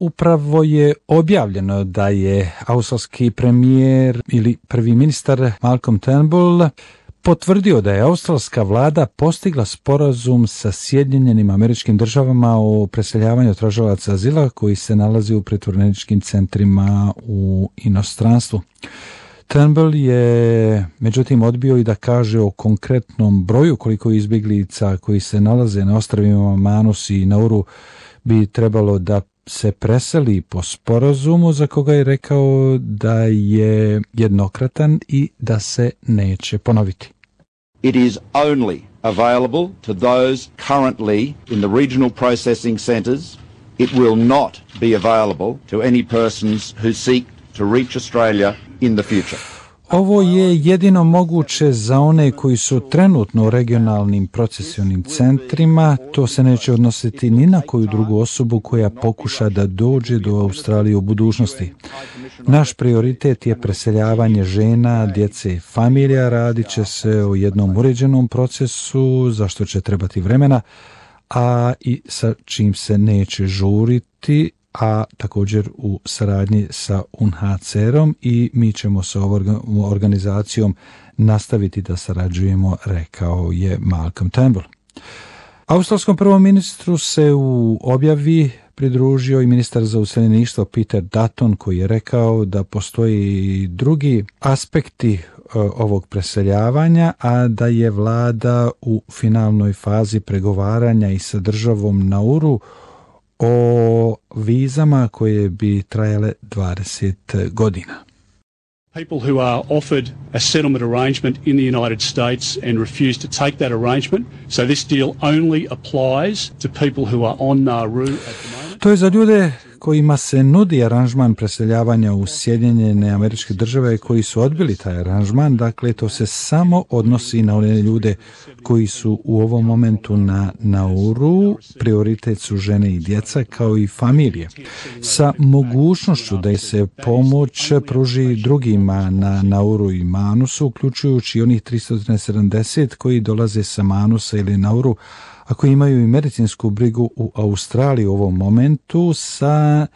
Upravo je objavljeno da je australski premijer ili prvi ministar Malcolm Turnbull potvrdio da je australska vlada postigla sporazum sa Sjedinjenim Američkim Državama o preseljavanju tražilaca azila koji se nalazi u pritvoreničkim centrima u inostranstvu. Turnbull je međutim odbio i da kaže o konkretnom broju koliko izbjeglica koji se nalaze na ostrvima Manus i Nauru bi trebalo da se preseli po sporazumu za koga je rekao da je jednokratan i da se neće ponoviti. It is only available to those currently in the regional processing centres. It will not be available to any persons who seek to reach Australia in the future. Ovo je jedino moguće za one koji su trenutno u regionalnim procesionim centrima. To se neće odnositi ni na koju drugu osobu koja pokuša da dođe do Australije u budućnosti. Naš prioritet je preseljavanje žena, djece i familija. Radit će se o jednom uređenom procesu, za što će trebati vremena, a i sa čim se neće žuriti, a također u saradnji sa UNHCR-om i mi ćemo sa ovom organizacijom nastaviti da sarađujemo, rekao je Malcolm Turnbull. Australskom prvom ministru se u objavi pridružio i ministar za useljeništvo Peter Dutton, koji je rekao da postoji drugi aspekti ovog preseljavanja, a da je vlada u finalnoj fazi pregovaranja i sa državom Nauru o vizama koje bi trajale 20 godina. People who are offered a settlement arrangement in the United States and refuse to take that arrangement. So this deal only applies to people who are on Nauru at the moment. To je za ljude kojima se nudi aranžman preseljavanja u Sjedinjene Američke Države koji su odbili taj aranžman. Dakle, to se samo odnosi na one ljude koji su u ovom momentu na Nauru. Prioritet su žene i djeca kao i familije. Sa mogućnošću da se pomoć pruži drugima na Nauru i Manusu, uključujući onih 370 koji dolaze sa Manusa ili Nauru, ako imaju i medicinsku brigu u Australiji u ovom momentu, sa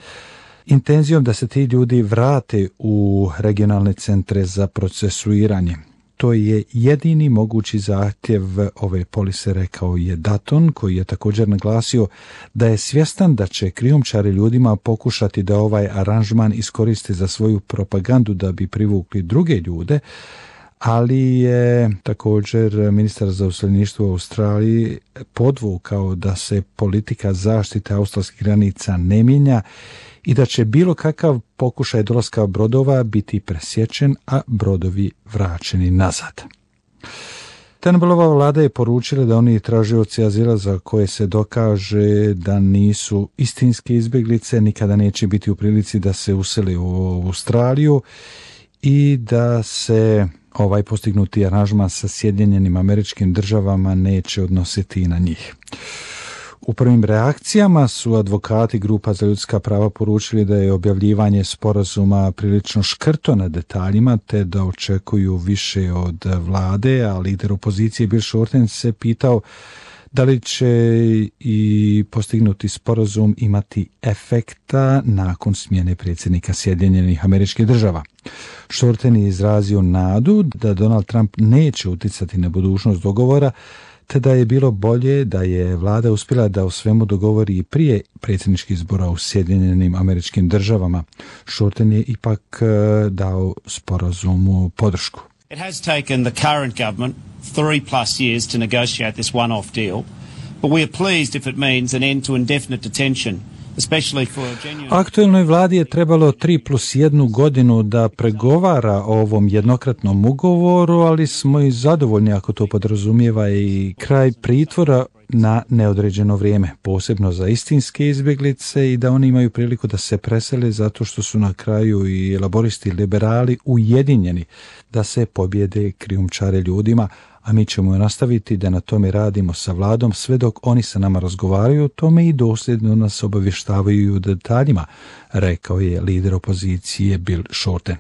intenzijom da se ti ljudi vrate u regionalne centre za procesuiranje. To je jedini mogući zahtjev ove polise, rekao je Dutton, koji je također naglasio da je svjestan da će krijumčari ljudima pokušati da ovaj aranžman iskoriste za svoju propagandu da bi privukli druge ljude, ali je također ministar za useljeništvo u Australiji podvukao da se politika zaštite australskih granica ne mijenja i da će bilo kakav pokušaj dolaska brodova biti presječen, a brodovi vraćeni nazad. Turnbullova vlada je poručila da oni tražioci azila za koje se dokaže da nisu istinske izbjeglice nikada neće biti u prilici da se usele u Australiju i da se ovaj postignuti aranžman sa Sjedinjenim Američkim Državama neće odnositi i na njih. U prvim reakcijama su advokati grupa za ljudska prava poručili da je objavljivanje sporazuma prilično škrto na detaljima, te da očekuju više od vlade, a lider opozicije Bill Shorten se pitao da li će i postignuti sporazum imati efekta nakon smjene predsjednika Sjedinjenih Američkih Država. Shorten je izrazio nadu da Donald Trump neće utjecati na budućnost dogovora, te da je bilo bolje da je vlada uspjela da o svemu dogovori i prije predsjedničkih izbora u Sjedinjenim Američkim Državama. Shorten je ipak dao sporazumu podršku. It has taken the current government 3+ years to negotiate this one-off deal, but we are pleased if it means an end to indefinite detention, especially for a genuine... Aktuelnoj vladi je trebalo 3+1 godinu da pregovara o ovom jednokratnom ugovoru, ali smo i zadovoljni ako to podrazumijeva i kraj pritvora na neodređeno vrijeme, posebno za istinske izbjeglice i da oni imaju priliku da se presele zato što su na kraju i laboristi liberali ujedinjeni da se pobjede krijumčare ljudima, a mi ćemo nastaviti da na tome radimo sa vladom sve dok oni sa nama razgovaraju o tome i dosljedno nas obavještavaju o detaljima, rekao je lider opozicije Bill Shorten.